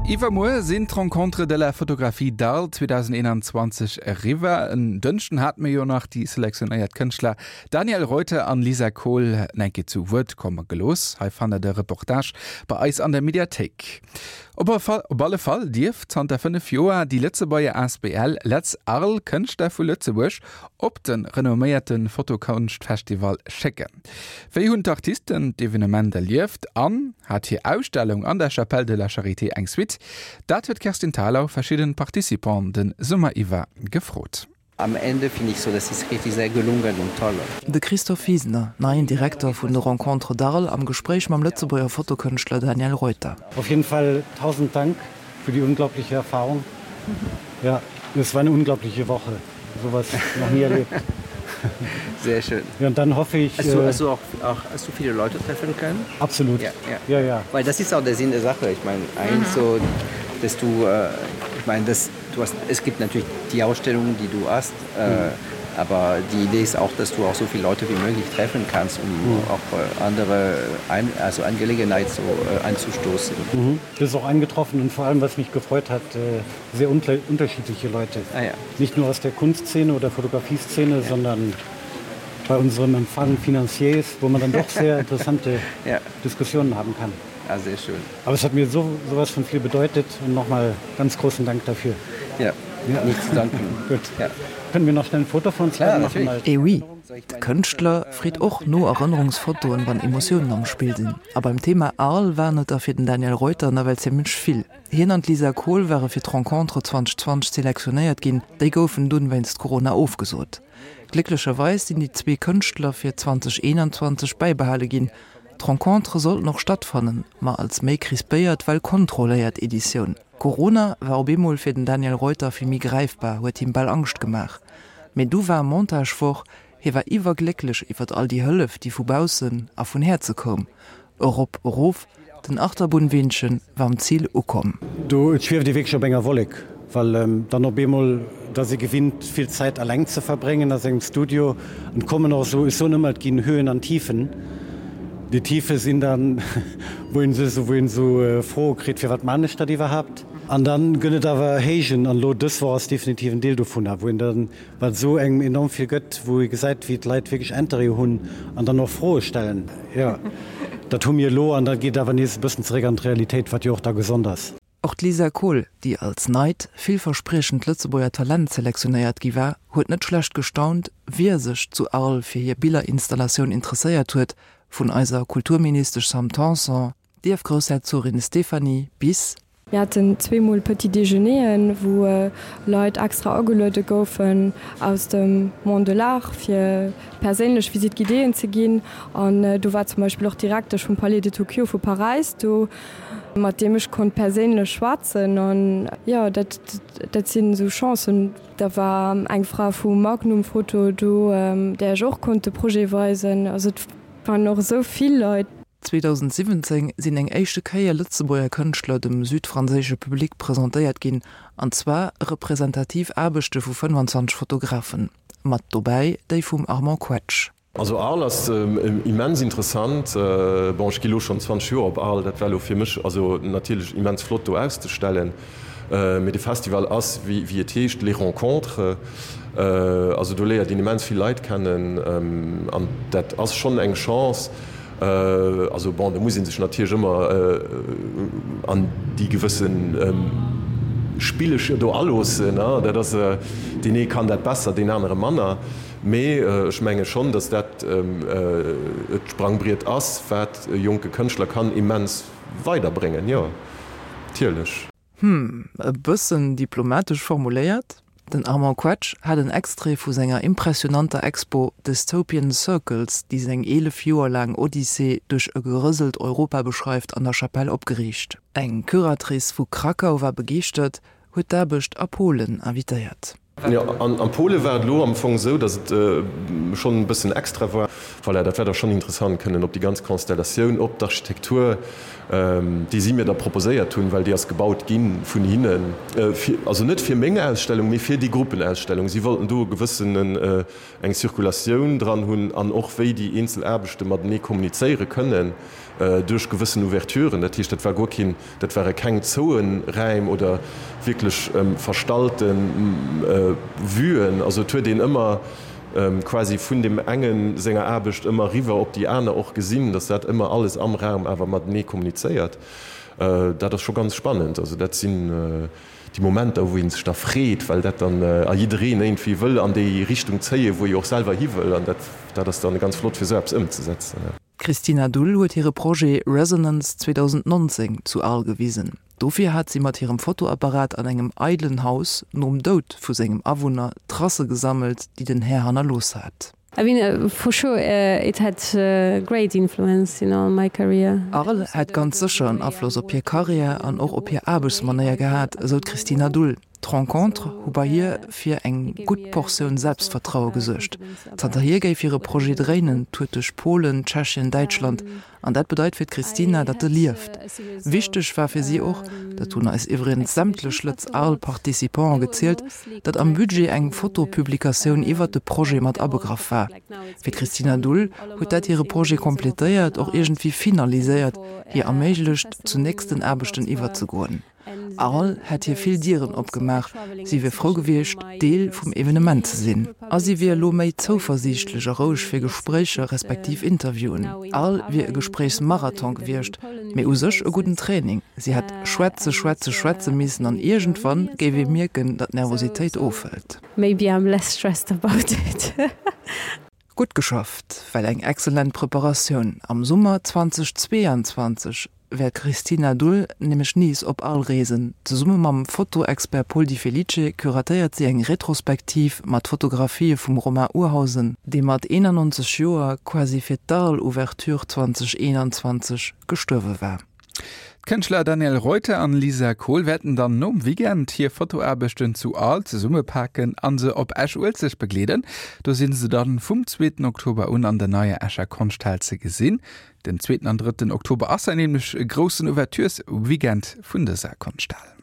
Iwwermuer sinn d'Rencontres de la Photographie d'Arles 2021 eriwwer. En Dënschden hate mir jo nach déi selektionéiert Kënschtler Daniel Reuter an Lisa Kohl enke zu Wuert komme gelooss. Hei fannt der de Reportage bei eis an der Mediathéik. Op alle Fall dierf zanter 5 Joer déi Lëtzebuerger asbl Letz Arles Kënschtler vu Lëtzebuerg op de renomméierte Fotokonschtfestival schécken. Wéi hunn d'Artisten d'Evenement erlieft an hat hir Ausstellung an der Chapelle de la Charité eng Suite? Dat huet d'Kerstin Thalau verschidden Participanten de Summer iwwer gefrot. Am Ende finde ich so, das ist richtig sehr gelungen und toll. De Christophe Wiesner, neien Direkter vun de Rencontres d'Arles am Gespréich mam Lëtzebuerger Fotokënschtler Daniel Reuter. Auf jeden Fall tausend Dank für die unglaubliche Erfahrung. Ja, es war eine unglaubliche Woche. Sowas noch nie erlebt. Sehr schön. Ja, und dann hoffe ich. Hast du, hast du auch, auch hast du viele Leute treffen können? Absolut. Ja, ja. Ja, ja. Weil das ist auch der Sinn der Sache. Ich meine, eigentlich mhm. so, dass du, äh, ich meine, das, du hast, es gibt natürlich die Ausstellung, die du hast, äh, mhm. aber die Idee ist auch, dass du auch so viele Leute wie möglich treffen kannst, um mhm. auch äh, andere ein, also Angelegenheit so, äh, anzustoßen. Mhm. Das ist auch eingetroffen und vor allem, was mich gefreut hat, äh, sehr unterschiedliche Leute. Ah, ja. Nicht nur aus der Kunstszene oder Fotografieszene, ja. sondern bei unserem Empfang Finanziers, wo man dann doch sehr interessante ja. Diskussionen haben kann. Ja, sehr schön. Aber es hat mir so sowas von viel bedeutet und nochmal ganz großen Dank dafür. Ja, ja. Nicht zu danken. Gut. Ja. Können wir noch schnell ein Foto von uns ja, machen? Eh oui, de Kënschtler freet och no Erënnerungsfotoen, wann Emotiounen am Spill sinn. A beim Thema Arles waren et der fir den Daniel Reuter nawell zimmlech vill. Hien an d'Lisa Kohl ware fir d'Rencontre 2020 selektionéiert ginn, déi goufen dunn wéinst Corona ofgesot. Glécklecherweis sinn déi zwee Kënschtler fir 2021 bäibehale ginn. D'Rencontre sollten och stattfannen, ma als méi crispéiert, well kontrolléiert Editioun. Corona war op eemol fir den Daniel Reuter vill méi gräifbar, huet him bal Angscht gemaach. Mee du war Montagewoch, hie war iwwerglécklech iwwert all déi Hëllef, déi vu baussen a vun Häerze koum. Erop, erof, den Achterbunn-Weenchen war um Zil ukomm. Do, et schwieft ee wierklech op enger Wollek, well dann op eemol, et ass ee gewinnt vill Zäit alleng ze verbréngen a sengem Studio an et kommen och esou, ech soen ëmmer, et ginn Höhen an Tiefen. Déi Tiefe sinn dann, wou een sech, wou een esou Froe kritt, firwat man ech dat iwwerhaapt? An dann gëtt et awer Héijen, an elo dës Woch ass definitiv en Deel dovunner, wou een dann, wat esou engem enorm vill gëtt, wou ee gesäit, wéi d'Leit wierklech Interêt hunn an dann och Froe stellen. Jo, dat hu mir elo an da geet awer nees e bëssen zeréck an d'Realitéit, wat jo och da gesond ass. Och d'Lisa Kohl, déi als neit, villverspriechend Lëtzebuerger Talent selektionéiert gi war, huet net schlecht gestaunt, wie sech zu Arles fir hir Billerinstallatioun interesséiert huet, vun eiser Kulturministesch Sam Tanson, d'Ierfgroussherzogin Stéphanie bis. Mir haten zweemol Petit Déjeuneren, wou Leit extra ageluede goufen aus dem Monde de l'Art, fir perséinlech Visite guidéeën ze ginn. An do war zum Beispill och d'Direktesch vum Palais de Tokyo vu Paräis do, mat deem ech konnt perséinlech schwätzen. An jo, dat, dat sinn esou Chancen. Da war eng Fra vu Magnum Photo do, där ech och konnt de Projet weisen. Also et waren och esou vill Leit. 2017 sinn eng éischte Kéier Lëtzebuerger Kënschtler dem südfranséische Public presentéiert ginn, an zwar representativ Aarbechte vu 25 Fotografen, mat dobäi déi vum Armand Quetsch. Also Arles ass immens interessant. Bon, ech gi lo schonn 20 Joer op Arles, dat war lo fir mech also natierlech immens flott do auszestellen. Mee de Festival ass, wéi et heescht, les rencontres. Also do léiert een immens vill Leit kennen an dat ass schonn eng Chance. Also bon, do muss ee sech natierlech ëmmer an déi gewësse Spillecher do aloossen. Dat ass, deen ee kann dat besser, deen anere manner. Mee ech menge schonn, datt dat et Sprangbriet ass, wat e jonke Kënschtler kann immens weiderbréngen, jo, natierlech. Hm, e bëssen diplomatesch formuléiert, den Armand Quetsch hat en Extrait vu senger impressionanter Expo Dystopian Circles, déi seng 11 Joer laang Odyssee duerch e gerëselt Europa beschreift, an der Chapelle opgeriicht. Eng Curatrice vu Krakau war begeeschtert, huet d'Aarbecht a Polen invitéiert. Jo, an a Pole war et elo am Fong esou, datt et schonn e bëssen extra war. Voilà, dat war da schonn interessant, kënnen op déi ganz Constellatioun, op d'Architektur. Déi si mir da proposéiert hunn, well déi ass gebaut gi vun hinnen, also net fir meng Ausstellung, mee fir déi Gruppenausstellung. Si wollten do e gewëssenen, eng Circulatioun dran hunn an och wéi déi eenzel Aarbechte matenee kommunizéiere kënnen duerch gewëssen Ouverturen. Dat heescht, dat war guer keen, dat ware keng zoue Räim oder wierklech verstallte Vuen. Also et huet een ëmmer quasi vun deem engen senger Aarbecht ëmmer eriwwer op déi aner och gesinn, datt dat ëmmer alles am Raum awer matenee kommunizéiert. Dat ass scho ganz spannend. Also dat sinn déi Momenter, wou ee sech da freet, well dat dann a jiddereen iergendwéi wëll an déi Richtung zéien, wou ee och selwer hi wëll. An dat, dat ass dann ganz flott, fir esou eppes ëmzesetzen. D'Christina Dull huet hire Projet Resonance 2019 zu Arles gewisen. Dofir hat si mat hirem Fotoapparat an engem eidelen Haus nom Doud vu sengem Awunner Tracë gesammelt, déi den Här hannerlooss hat. I mean, for sure it had great influence, you know, on my career. Arles hätt ganz sécher en Afloss op hir Karriär an och op hir Aarbechtsmanéier gehat, esou d'Christina Dull. D'Rencontre hu bei hir fir eng gutt Portioun Selbstvertraue gesuergt. Zanterhier géif hire Projet dréinen, tourt duerch Polen, Tschechien, Däitschland An dat bedeit fir d'Christina, datt e lieft. Wichteg war fir si och, dat hunn eis iwwregens sämtlech Lëtz Arles Participante gezielt, datt am Budget eng Fotopublikatioun iwwert de Projet mat abegraff war. Fir d'Christina Dull huet dat hire Projet completéiert, och iergendwéi finaliséiert, hir erméiglecht, zu nächsten Aarbechten iwwerzegoen. Arles hätt hir vill Dieren opgemaach, si wier frou gewiescht, Deel vum Evenement ze sinn. A si wier elo méi zouversiichtlech a roueg fir Gespréicher respektiv Interviewen. Arles wier e Gespréichsmarathon gewiescht, mee u sech e gudden Training. Si hätt schwätze, schwätze, schwätze missen an iergendwann géif ee mierken, datt d'Nervositéit ofhëlt. Maybe I'm less stressed about it. Gutt geschafft, well eng excellent Preparatioun. Am Summer 2022 wäert d'Christina Dull nämlech nees op Arles reesen. Zesumme mam Fotoexpert Paul Di Felice curatéiert si eng Retrospektiv mat Fotografië vum Romain Urhausen, dee mat 91 Joer quasi fir d'Arles-Ouverture 2021 gestuerwe war. D'Kënschtler Daniel Reuter an Lisa Kohl wäerten dann nom Weekend hir Fotoaarbechten zu Arles zesummepaken a se op Esch-Uelzecht begleeden. Do si se dann vum zweeten Oktober un an der neier Escher Konschthal ze gesinn. Den zweeten an drëtten Oktober ass hei nämlech e groussen Ouvertures-Weekend vun dëser Konschthal.